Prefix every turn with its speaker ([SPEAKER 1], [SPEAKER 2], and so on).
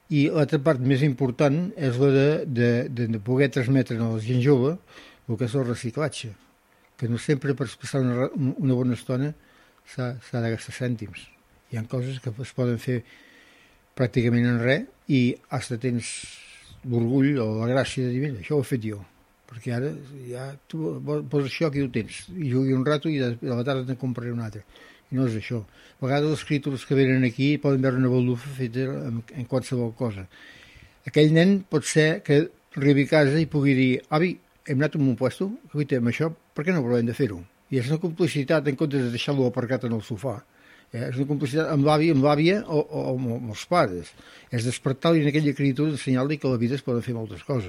[SPEAKER 1] I l'altra part més important és la de poder transmetre a la gent jove el que és el reciclatge, que no sempre per passar una bona estona s'ha de gastar cèntims. Hi ha coses que es poden fer pràcticament en res i hasta tens l'orgull o la gràcia de dir, mira, això ho he fet jo, perquè ara ja tu poses això, aquí ho tens, i jugui un rato i a la tarda te'n compraré un altre. I no és això. A vegades els criatures que venen aquí poden veure una baldufa feta en qualsevol cosa. Aquell nen pot ser que arribi a casa i pugui dir, avi, hem anat a un puesto, que amb això, per què no provem de fer-ho? I és una complicitat en comptes de deixar-lo aparcat en el sofà. És una complicitat amb l'avi, amb l'àvia o amb els pares. És despertar-li en aquella criatura, ensenyar-li que a la vida es poden fer moltes coses.